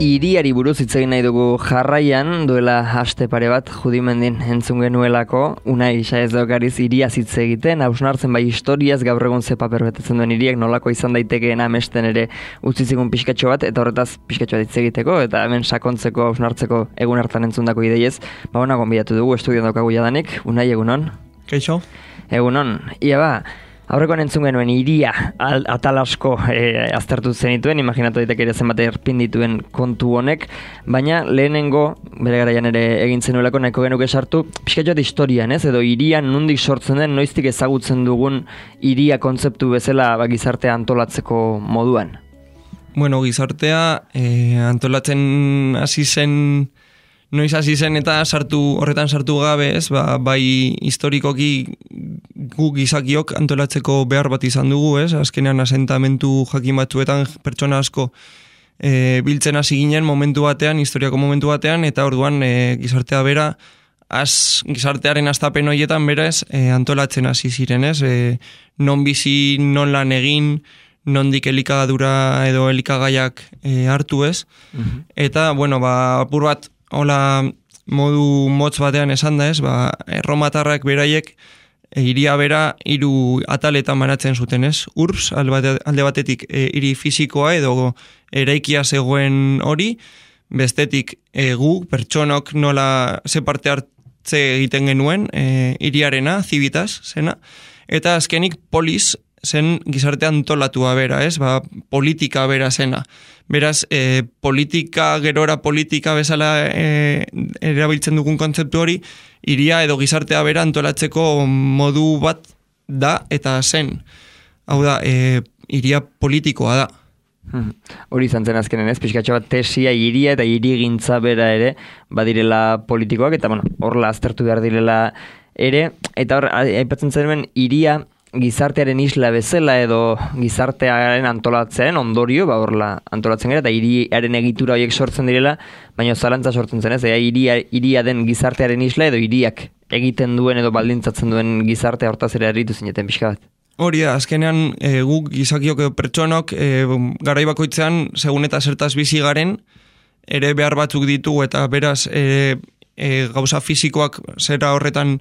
Hiriari buruz hitz egin nahi dugu jarraian, duela aste pare bat Judimendin entzun genuelako, Unai Saez de Ocariz hiriaz hitz egiten, hausnartzen bai historiaz gaur egun ze paper betetzen duen hiriak nolako izan daitekeen amesten ere utzi zigun pixkatxo bat, eta horretaz pixkatxo bat hitz egiteko, eta hemen sakontzeko, hausnartzeko egun hartan entzundako ideiez, hona gonbidatu dugu, estudioan daukagu jadanik. Unai, egunon? Kaixo? Egunon, ia ba, aurrekoan entzun genuen hiria atal asko aztertu zenituen, imaginatu daiteke ere zenbat erpin dituen kontu honek, baina lehenengo, bere garaian ere egin zenuelako nahiko genuke sartu, pixkatxo bat historian, ez? Edo hirian nondik sortzen den, noiztik ezagutzen dugun hiria kontzeptu bezala gizartea antolatzeko moduan? Bueno, gizartea antolatzen hasi zen, noiz hasi zen eta horretan sartu gabe, ez? Bai historikoki gu gizakiok antolatzeko behar bat izan dugu, ez? Azkenean asentamentu jakin batzuetan pertsona asko biltzen hasi ginen momentu batean, historiako momentu batean, eta orduan gizartea bera, gizartearen astapen horietan beraz antolatzen hasi ziren, ez? Non bizi, non lan egin, nondik elikagadura edo elikagaiak hartu, ez? Eta, bueno, apur bat, hola modu motz batean esan da, ez? Erromatarrak beraiek hiria bera 3 ataletan banatzen zuten, ez? Urbs, alde batetik hiri fisikoa edo eraikia zegoen hori, bestetik gu, pertsonok nola ze parte hartze egiten genuen, hiriarena, civitas, zena, eta azkenik polis zen gizarte antolatua bera, ez? Politika bera zena. Beraz, politika, gerora politika bezala erabiltzen dugun kontzeptu hori, hiria edo gizartea bera antolatzeko modu bat da eta zen. Hau da, hiria politikoa da. Hori izan zen azkenen, ez? Pixkatxo bat tesia hiria eta hirigintza bera ere badirela politikoak, eta horla aztertu behar direla ere, eta hor, aipatzen zenuen hiria gizartearen isla bezala edo gizartearen antolatzearen ondorio, horla antolatzen gara, eta hiriaren egitura horiek sortzen direla, baina zalantza sortzen zen, ez? Hiria den gizartearen isla edo hiriak egiten duen edo baldintzatzen duen gizartea hortaz ere aritu zineten pixka bat. Hori da, azkenean guk gizakiok edo pertsonok garai bakoitzean segun eta zertaz bizi garen, ere behar batzuk ditu eta beraz gauza fisikoak zera horretan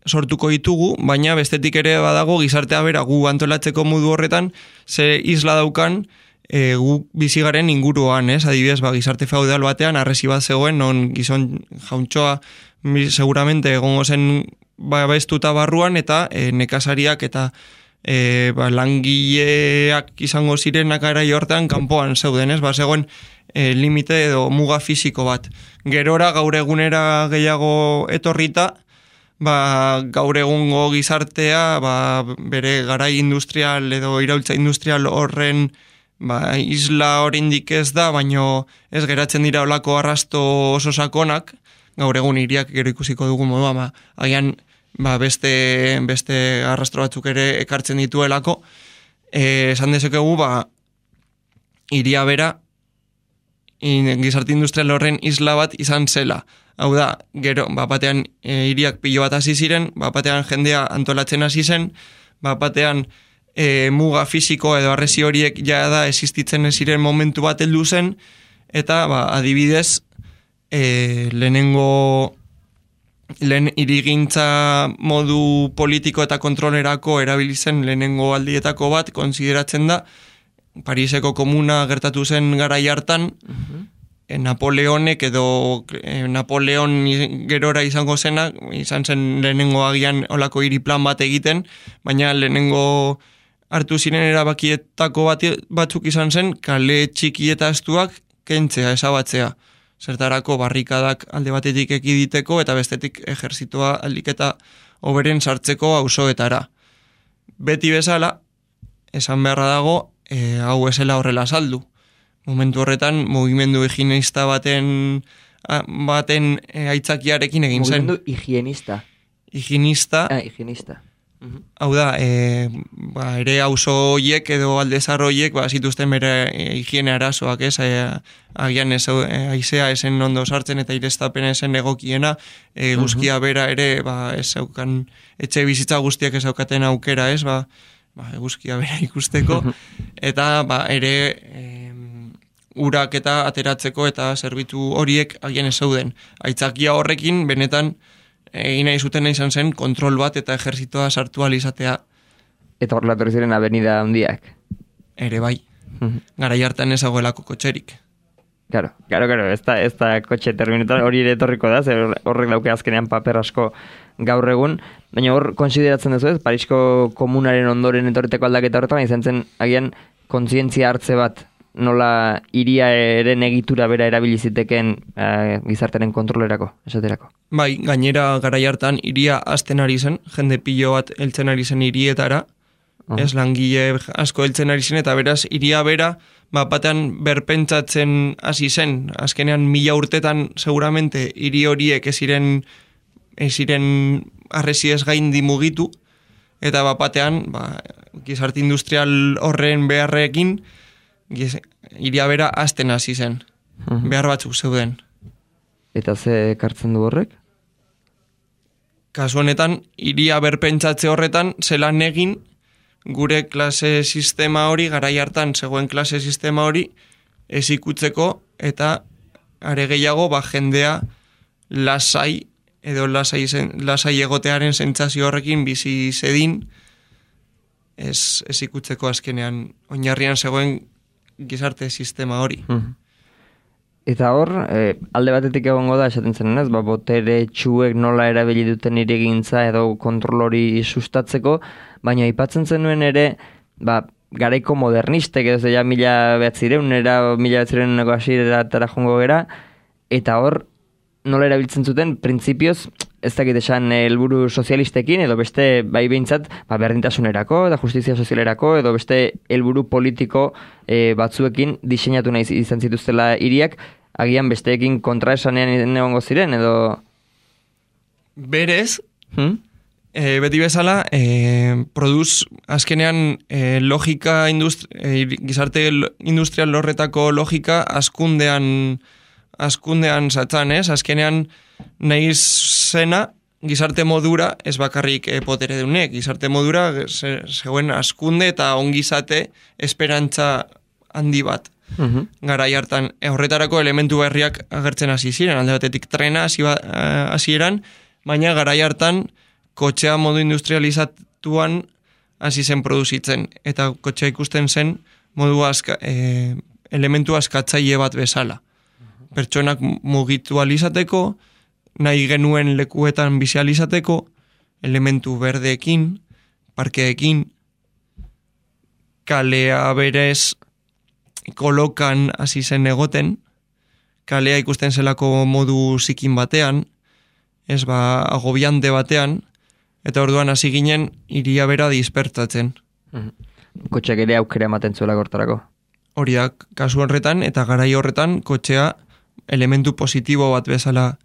sortuko ditugu, baina bestetik ere badago gizartea bera gu antolatzeko modu horretan ze isla daukan gu bizigaren inguruan, ez? Adibidez, gizarte feudal batean arresi bat zegoen, non gizon jauntxoa seguramente egongo zen bestuta barruan eta nekazariak eta langileak izango zirenak garai hortan kanpoan zeuden, ez? Zegoen limite edo muga fisiko bat. Gerora gaur egunera gehiago etorrita, gaur egungo gizartea bere garai industrial edo iraultza industrial horren isla oraindik ez da, baino ez geratzen dira olako arrasto oso sakonak, gaur egun hiriak gero ikusiko dugu modua, agian beste arrastro batzuk ere ekartzen dituelako, esan dezakegu hiria bera gizarte industrial horren isla bat izan zela. Hau da, gero, batean hiriak pilo bat hasi ziren, batean jendea antolatzen hasi zen, batean muga fisiko edo arresi horiek ja da existitzen ziren momentu bat heldu zen, eta adibidez, lehen hirigintza modu politiko eta kontrolerako erabilizen lehenengo aldietako bat, konsideratzen da, Pariseko komuna gertatu zen garai hartan, Napoleonek edo Napoleon gerora izango zena, izan zen lehenengo agian olako hiri plan bat egiten, baina lehenengo hartu ziren erabakietako batzuk izan zen, kale txiki eta astuak kentzea, esabatzea. Zertarako barrikadak alde batetik ekiditeko eta bestetik ejerzitoa aldiketa hoberen sartzeko auzoetara. Beti bezala, esan beharra dago, hau esela horrela saldu. Momentu horretan, mugimendu higienista baten aitzakiarekin egin zen. Mugimendu higienista? Higienista. Higienista. Hau da, ere auzo horiek edo aldezar horiek zituzten bere higiene arazoak, ez? Agian haizea esen ondo sartzen eta irestapen esen egokiena, guzkia bera ere ez zaukan etxe bizitza guztiak ez zaukaten aukera, ez? Eguzkia bera ikusteko, eta ere urak eta ateratzeko eta zerbitzu horiek agian ez zeuden. Aitzakia horrekin, benetan, egin nahi zuten izan zen kontrol bat eta ejerzitoa sartu alizatea. Eta hor latorri ziren avenida handiak. Ere bai. Garai hartan ezagoelako kotxerik. Claro, ez da kotxe terminetan hori ere etorriko da, zer horrek dauke azkenean paper asko gaur egun, baina hor konsideratzen duzu ez, Parisko komunaren ondoren etorriteko aldaketa horretan, izan zen agian kontzientzia hartze bat, nola hiria eren egitura bera erabili ziteken gizartaren kontrolerako, esaterako. Bai, gainera garai hartan hiria hasten ari zen, jende pilo bat heltzen ari zen hirietara, ez langile asko heltzen ari zen, eta beraz hiria bera, batean berpentsatzen hasi zen, azkenean 1000 urtetan seguramente hiri horiek ez ziren arresiez gaindi mugitu, eta batean gizarte industrial horren beharrekin hiria bera hasten hasi zen, behar batzuk zeuden. Eta ze ekartzen du horrek? Kasu honetan, hiria berpentsatze horretan zelan egin gure klase sistema hori, garai hartan zegoen klase sistema hori, ez ikutzeko eta are gehiago jendea lasai edo lasai egotearen sentsazio horrekin bizi zedin ez ikutzeko azkenean oinarrian zegoen gizarte sistema hori. Eta hor, alde batetik egongo da, esaten zen, ez? Botere txuek nola erabili duten iregintza edo kontrol hori sustatzeko, baina aipatzen zenuen ere, garaiko modernistek, edo zeia 1900 hasiera jongo gera, eta hor, nola erabiltzen zuten, printzipioz, ez dakit esan helburu sozialistekin, edo beste bai behintzat, berdintasunerako, eta justizia sozialerako, edo beste helburu politiko batzuekin diseinatu nahi izan zituztela hiriak, agian besteekin kontraesanean egongo ziren, edo... Berez, beti bezala, azkenean logika, gizarte industrial horretako logika askundean zatzan, ez? Azkenean nahi zena gizarte modura, ez bakarrik potere dunek, gizarte modura zegoen askunde eta ongizate esperantza handi bat. Garai hartan, horretarako elementu berriak agertzen hasi ziren, alde batetik trena hasi eran, baina garai hartan kotxea modu industrializatuan hasi zen produzitzen, eta kotxea ikusten zen modu elementu askatzaile bat bezala. Pertsonak mugitu alizateko, nahi genuen lekuetan bizializateko, elementu berdeekin, parkeekin, kalea berez kolokan hasi zen egoten, kalea ikusten zelako modu zikin batean, ez agobiante batean, eta orduan hasi ginen hiria bera dispertzatzen. Kotxeak ere aukera ematen zuela gortarako. Hori da, kasu horretan, eta garai horretan, kotxea elementu positibo bat bezala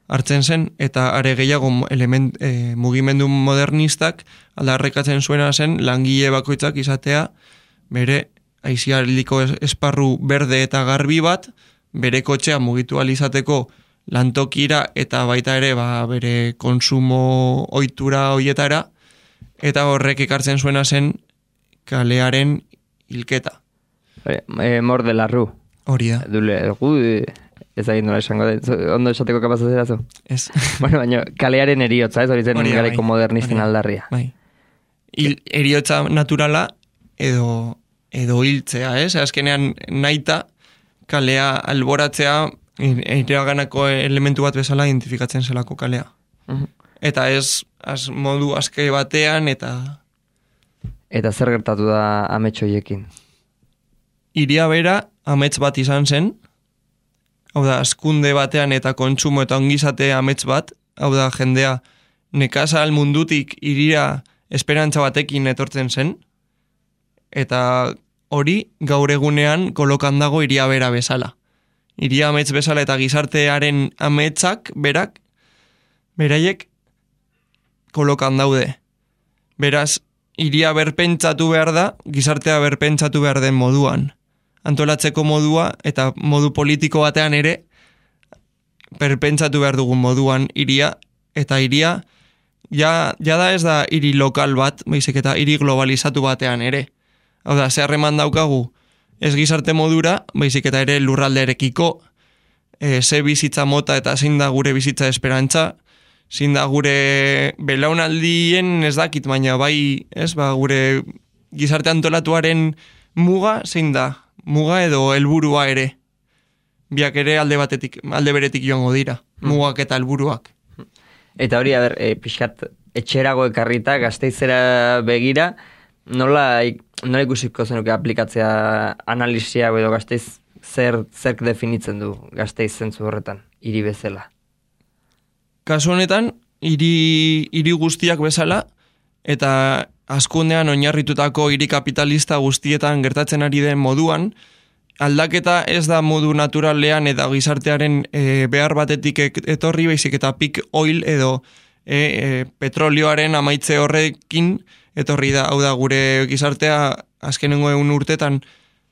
hartzen zen, eta are gehiago mugimendu modernistak aldarrekatzen zuena zen langile bakoitzak izatea bere aizialdiko esparru berde eta garbi bat, bere kotxea mugitu alizateko lantokira eta baita ere bere konsumo ohitura hoietara, eta horrek ekartzen zuena zen kalearen hilketa. Mor de la Rue. Hori da. Ez egin nola esango da, ondo esateko kapaz zerazu? Ez. Baina, kalearen eriotza, ez hori zen garaiko modernisten aldarria. Bai. Eriotza naturala edo hiltzea, ez? Azkenean naita kalea alboratzea iraganako elementu bat bezala identifikatzen zelako kalea. Eta ez modu aske batean eta... Eta zer gertatu da ametxoiekin? Hiria bera amets bat izan zen, hau da, askunde batean eta kontsumo eta ongizate amets bat, hau da, jendea nekazal mundutik hirira esperantza batekin etortzen zen, eta hori gaur egunean kolokan dago hiria bera bezala. Hiria amets bezala eta gizartearen ametsak beraiek kolokan daude. Beraz, hiria berpentsatu behar da, gizartea berpentsatu behar den moduan. Antolatzeko modua eta modu politiko batean ere berpentsatu behar dugun moduan hiria, eta hiria da ez da hiri lokal bat, baizik eta hiri globalizatu batean ere. Hau da, ze harreman daukagu ez gizarte modura, baizik eta ere lurraldearekiko, ze bizitza mota eta zein da gure bizitza esperantza, zein da gure belaunaldien ez dakit, baina bai, ez, gure gizarte antolatuaren muga zein da, muga edo helburua ere. Biak ere alde beretik joango dira, mugak eta helburuak. Eta hori, pixkat etxerago ekarrita, Gasteizera begira, nola ikusiko zenuke aplikatzea analisia edo Gasteiz zerk definitzen du Gasteiz zentzu horretan, hiri bezala? Kasu honetan, hiri guztiak bezala, eta hazkundean oinarritutako hiri kapitalista guztietan gertatzen ari den moduan, aldaketa ez da modu naturalean eta gizartearen behar batetik etorri, baizik eta peak oil edo petrolioaren amaitze horrekin etorri da. Hau da, gure gizartea azkenengo egun urtetan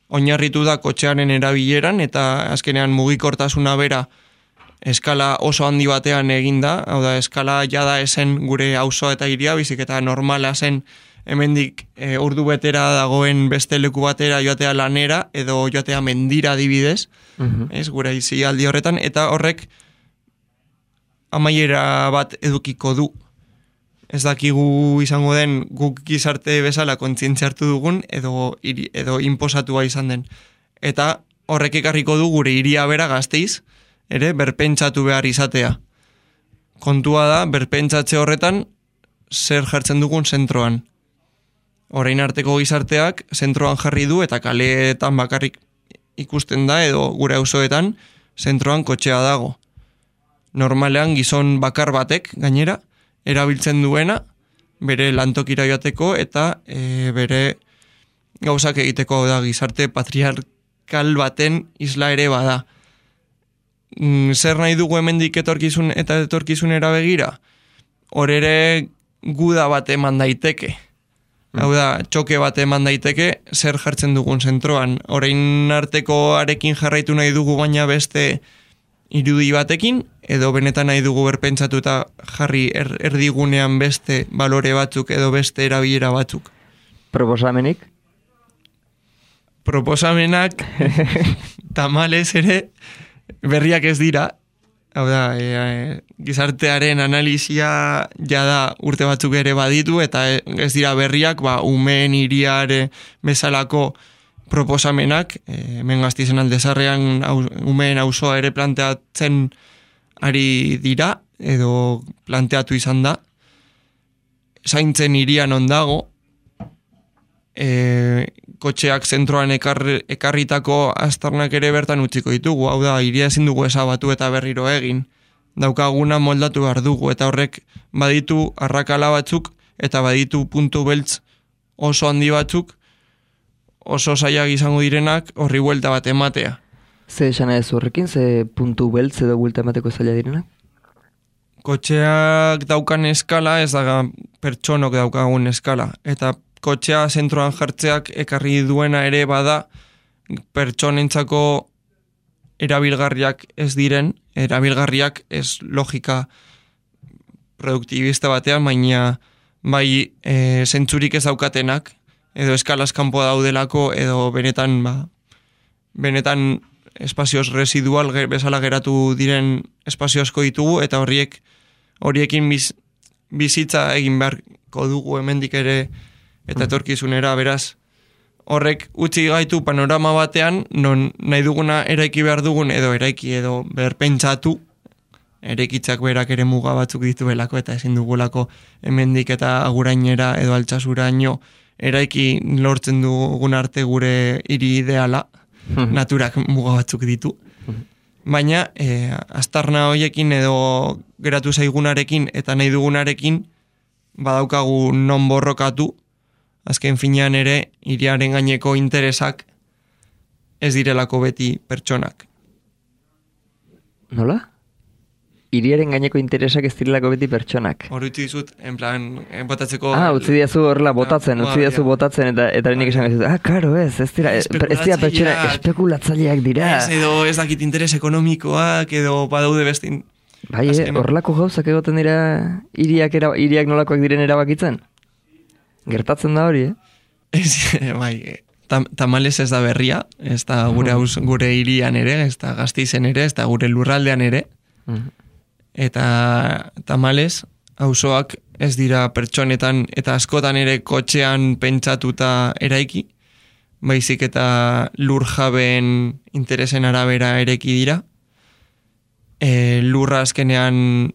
oinarritu da kotxearen erabileran eta azkenean mugikortasuna bera eskala oso handi batean eginda. Hau da, eskala jada esen gure auzo eta hiria, baizik eta normala zen hemendik ordu betera dagoen beste leku batera joatea lanera edo joatea mendira adibidez, ez, gure izialdi horretan, eta horrek amaiera bat edukiko du. Ez dakigu izango den guk gizarte bezala kontzientzia hartu dugun edo inposatua izan den. Eta horrek ekarriko du gure hiria bera Gasteiz, ere berpentsatu behar izatea. Kontua da, berpentsatze horretan zer jartzen dugun zentroan. Orain arteko gizarteak zentroan jarri du eta kaleetan bakarrik ikusten da edo gure auzoetan zentroan kotxea dago. Normalean gizon bakar batek gainera erabiltzen duena bere lantokira joateko eta bere gauzak egiteko da gizarte patriarkal baten isla ere bada. Zer nahi dugu hemendik etorkizunera begira? Hor ere guda bat eman daiteke. Hau da, txoke bat eman daiteke zer jartzen dugun zentroan. Orain artekoarekin jarraitu nahi dugu baina beste irudi batekin, edo benetan nahi dugu berpentsatu eta jarri erdigunean beste balore batzuk edo beste erabilera batzuk. Proposamenik? Proposamenak tamalez ere berriak ez dira. Hau da, gizartearen analizia jada urte batzuk ere baditu eta ez dira berriak, umeen hiriare bezalako proposamenak, hemen Gasteizen Aldezarrean umeen auzoa ere planteatzen ari dira, edo planteatu izan da. Zaintzen hirian ondago, kotxeak zentroan ekarritako aztarnak ere bertan utziko ditugu. Hau da, hiria ezin dugu ezabatu eta berriro egin. Daukaguna moldatu behar dugu eta horrek baditu arrakala batzuk eta baditu puntu beltz oso handi batzuk, oso zailak izango direnak horri buelta bat ematea. Ze esan ez horrekin, ze puntu beltz edo buelta emateko zaila direnak? Kotxeak daukan eskala ez da pertsonok daukagun eskala. Eta kotxea zentroan jartzeak ekarri duena ere bada pertsonentzako erabilgarriak ez diren, erabilgarriak ez logika produktibista batean, baina bai zentzurik ez daukatenak, edo eskalaz kanpoa daudelako, edo benetan espazioz residual bezala geratu diren espazio asko ditugu, eta horiekin bizitza egin beharko dugu hemendik ere eta etorkizunera, beraz, horrek utzi gaitu panorama batean, non nahi duguna eraiki behar dugun, edo berpentsatu, eraikitzak berak ere muga batzuk dituelako, eta ezin dugulako hemendik eta agurainera edo altsasuraino eraiki lortzen dugun arte gure hiri ideala, naturak muga batzuk ditu. Baina, aztarna hoiekin edo geratu zaigunarekin eta nahi dugunarekin badaukagu non borrokatu, azken finean ere hiriaren gaineko interesak ez direlako beti pertsonak. Nola? Hiriaren gaineko interesak ez direlako beti pertsonak. Hor utzi dizut, en plan, botatzeko... utzi diazu horrela botatzen, botatzen, eta nik esan gaitu, karo ez dira pertsona espekulatzaileak dira. Edo ez dakit interes ekonomikoak, edo badaude bestin... Bai, horrelako gauzak egoten dira hiriak nolakoak diren erabakitzen? Gertatzen da hori, Bai, Tamalez ez da berria, ez da gure hirian ere, ez da Gasteizen ere, ez da gure lurraldean ere. Eta tamalez, auzoak ez dira pertsonetan eta askotan ere kotxean pentsatuta eraiki, baizik eta lurjabeen interesen arabera ereki dira. Lurra azkenean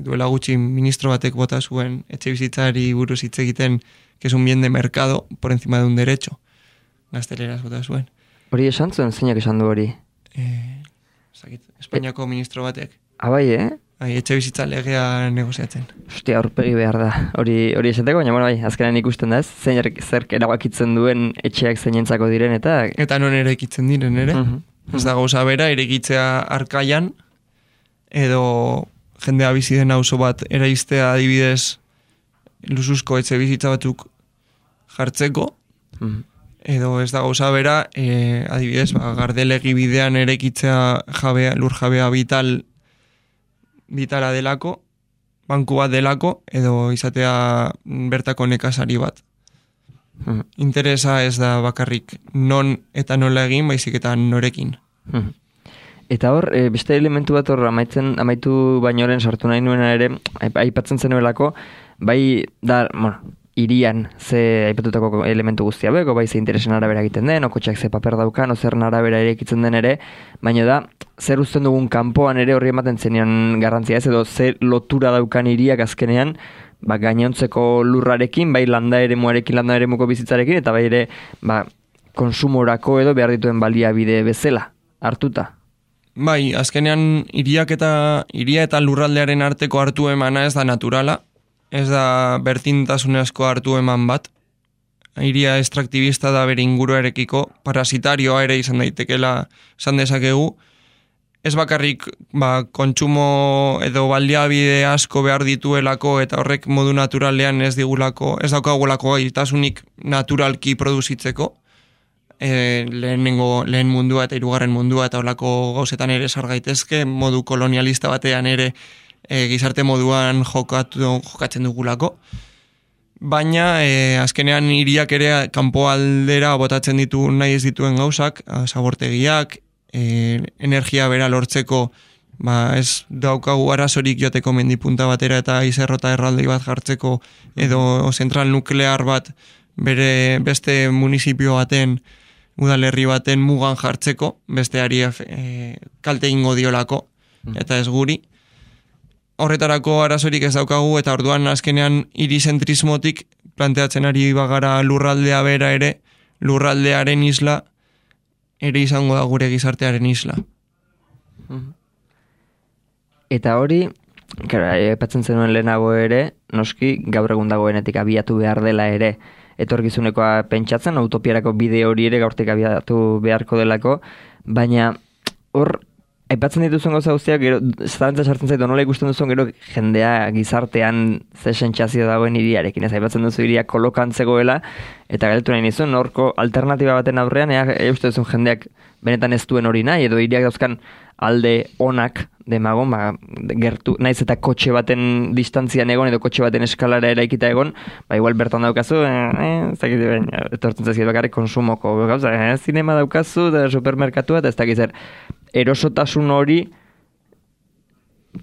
duela gutxi ministro batek bota zuen etxe bizitzari buruz hitz egiten, que es un bien de mercado por encima de un derecho. Gazteleraz bota zuen. Hori esan zuen, zeinak esan du hori? Espainiako ministro batek. Bai, Etxe bizitza legea negoziatzen. Hostia, aurpegi behar da. Hori esateko, baina bai, azkenean ikusten da ez, zerk erabakitzen duen etxeak zeinentzako diren eta... Eta non eraikitzen diren ere. Ez da gauza bera, eraikitzea arkaian, edo jendea bizi den auzo bat eraiztea adibidez lusuzko etxe bizitza batzuk jartzeko, edo ez da gauza bera, adibidez, gardelegi bidean eraikitzea lur jabea vitala delako, banku bat delako, edo izatea bertako nekazari bat. Interesa ez da bakarrik non eta nola egin, baizik eta norekin. Eta hor, beste elementu bat hor amaitu bainoren sartu nahi nuena ere, aipatzen zenuelako, bai da, irian ze aipatutako elementu guztia beko, bai ze interesen arabera egiten den, okotxeak ze paper daukan, ozerren arabera ere ekitzen den ere, baina da, zer uzten dugun kanpoan ere horri ematen zenean garrantzia ez, edo zer lotura daukan iriak azkenean, gainontzeko lurrarekin, bai landa eremuko bizitzarekin, eta bai ere, konsumorako edo behar dituen baliabide bezala, hartuta. Bai, azkenean iria eta lurraldearen arteko hartu emana ez da naturala, ez da bertintasunezko hartu eman bat. Iria estraktibista da bere inguruarekiko, parasitarioa ere izan daitekela esan dezakegu. Ez bakarrik kontsumo edo baliabide asko behar dituelako eta horrek modu naturalean ez daukagulako gaitasunik naturalki produzitzeko. Lehen mundua eta hirugarren mundua eta horlako gauzetan ere sar gaitezke, modu kolonialista batean ere gizarte moduan jokatzen dugulako. Baina azkenean hiriak ere kanpoaldera botatzen ditu nahi ez dituen gauzak, zabortegiak, energia bera lortzeko ez daukagu arazorik joateko mendipunta batera eta izerrota erraldoi bat jartzeko edo zentral nuklear bat bere beste municipio baten, udalerri baten mugan jartzeko, besteari kalte ingo diolako, eta ez guri. Horretarako arazorik ez daukagu, eta orduan azkenean irizentrismotik planteatzen ari bagara lurraldea bera ere, lurraldearen isla, ere izango da gure gizartearen isla. Eta hori, epatzen zenuen lehenago ere, noski gaur egun dagoenetik abiatu behar dela ere, etorkizunekoa pentsatzen, utopiarako bide hori ere gaurtik abiatu beharko delako, baina hor, aipatzen dituzuen gauza guztiak, gero, zalantza sartzen zaitu, nola ikusten duzuen, gero jendea gizartean ze sentsazio dagoen hiriarekin, ez aipatzen duzu hiria kolokantzegoela, eta galdetu nahi nizun, horko alternatiba baten aurrean, uste duzun jendeak benetan ez duen hori nahi, edo hiriak dauzkan alde onak demagon, gertu, naiz eta kotxe baten distantzian egon, edo kotxe baten eskalara eraikita egon, igual bertan daukazu, etortzen zazkiet bakarrik konsumoko gauza, zinema daukazu, da supermerkatua, eta ez dakiz erosotasun hori,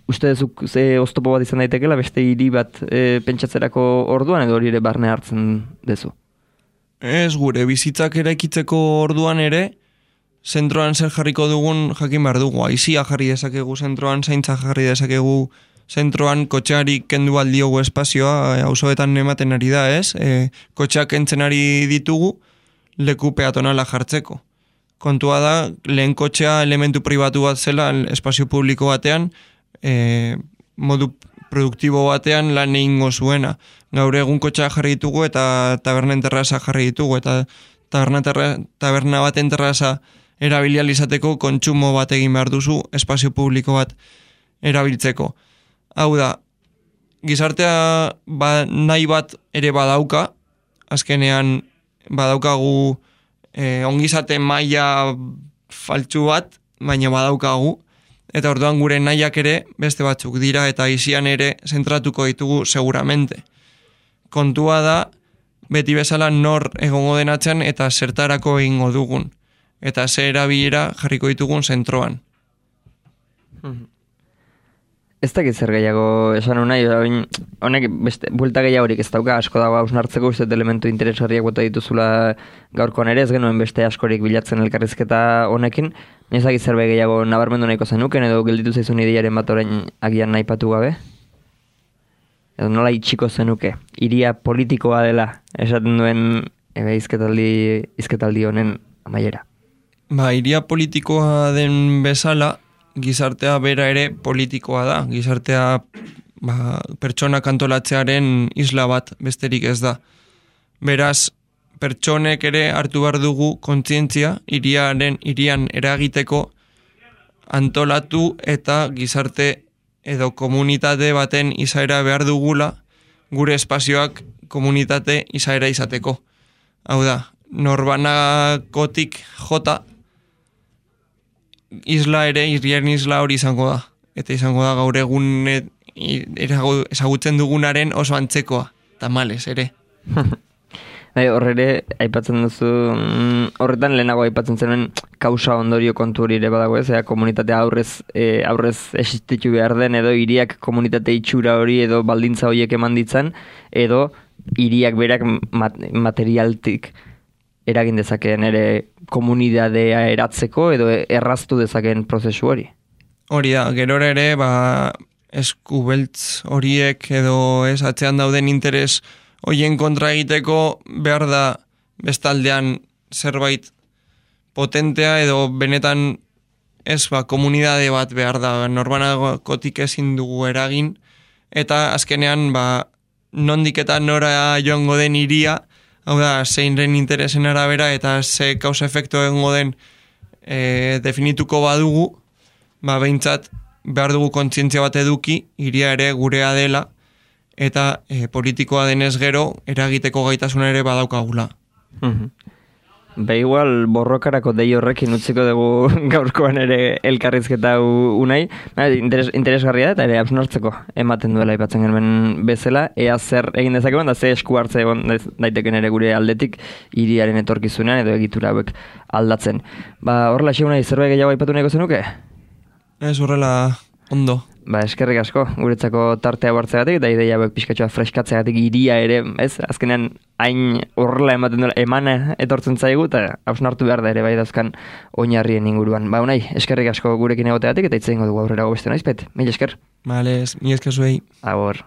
uste dezuk ze oztopo bat izan daitekela, beste hiri bat pentsatzerako orduan, edo hori ere barne hartzen dezu? Ez gure, bizitzak eraikitzeko orduan ere, zentroan zer jarriko dugun jakin behar dugu. Aizia jarri dezakegu zentroan, zaintza jarri dezakegu zentroan, kotxeari kendu aldiogu espazioa, auzoetan ematen ari da, ez? Kotxeak kentzen ari ditugu, leku peatonala jartzeko. Kontua da, lehen kotxea elementu pribatu bat zela, espazio publiko batean, modu produktibo batean lan egingo zuena. Gaur egun kotxea jarri ditugu eta tabernen terraza jarri ditugu, eta taberna baten terraza erabilial izateko kontsumo bat egin behar duzu, espazio publiko bat erabiltzeko. Hau da, gizartea nahi bat ere badauka, azkenean badaukagu ongizate maila faltsu bat, baina badaukagu, eta orduan gure nahiak ere beste batzuk dira, eta izian ere zentratuko ditugu seguramente. Kontua da, beti bezala nor egongo den atzean eta zertarako egingo dugun. Eta ze erabilera jarriko ditugun zentroan. Ez dakit zer gehiago esan nahi, honek beste buelta gehiagorik ez dauka, asko dago hausnartzeko, uste elementu interesgarriak bota dituzula gaurkoan ere, ez genuen beste askorik bilatzen elkarrizketa honekin, ez dakit zerbait gehiago nabarmendu nahiko zenuken, edo gelditu zaizun ideiaren bat orain agian naipatu gabe? Edo nola itxiko zenuke, hiria politikoa dela, esaten duen hizketaldi honen amaiera. Hiria politikoa den bezala, gizartea bera ere politikoa da. Gizartea pertsonak antolatzearen isla bat besterik ez da. Beraz, pertsonek ere hartu behar dugu kontzientzia hirian eragiteko antolatu eta gizarte edo komunitate baten izaera behar dugula gure espazioak komunitate izaera izateko. Hau da, norbanakotik jota isla ere, hiriaren isla hori izango da. Eta izango da gaur egun ezagutzen dugunaren oso antzekoa. Tamales ere. Horre aipatzen duzu, horretan lehenago aipatzen zenuen kausa ondorio kontu hori ere badago ez, komunitatea aurrez existitu behar den, edo hiriak komunitate itxura hori edo baldintza horiek eman ditzan, edo hiriak berak materialtik eragin dezakeen ere komunitatea eratzeko edo erraztu dezakeen prozesu hori. Hori da, gerora ere eskubeltz horiek edo ez atzean dauden interes horien kontra egiteko behar da bestaldean zerbait potentea edo benetan ez komunitate bat behar da, norbanakotik ezin dugu eragin eta azkenean nondik eta nora joango den hiria. Hau da, zeinren interesen arabera eta ze kausa-efektu egongo den definituko badugu, behintzat behar dugu kontzientzia bat eduki, hiria ere gurea dela, eta politikoa denez gero eragiteko gaitasuna ere badaukagula. Igual borrokarako dei horrekin utziko dugu gaurkoan ere elkarrizketa unai. Interesgarria da eta ere hausnartzeko ematen duela aipatzen genuen bezala. Ea zer egin dezakeban da ze esku hartze egon daiteken ere gure aldetik hiriaren etorkizunean edo egitura hauek aldatzen. Horrela xeunai zerbait gehiago aipatu nahiko zenuke? Ez horrela ondo. Eskerrik asko, guretzako tartea hartzeagatik eta ideia hauek pixkatxoa freskatzeagatik hiria ere, ez? Azkenean hain horrela ematen dela, emana etortzen zaigu eta hausnartu behar da ere bai dauzkan oinarrien inguruan. Unai, eskerrik asko gurekin egoteagatik eta hitz egingo dugu aurrerago beste noizpet. Mil esker. Mil esker zuei. Agur.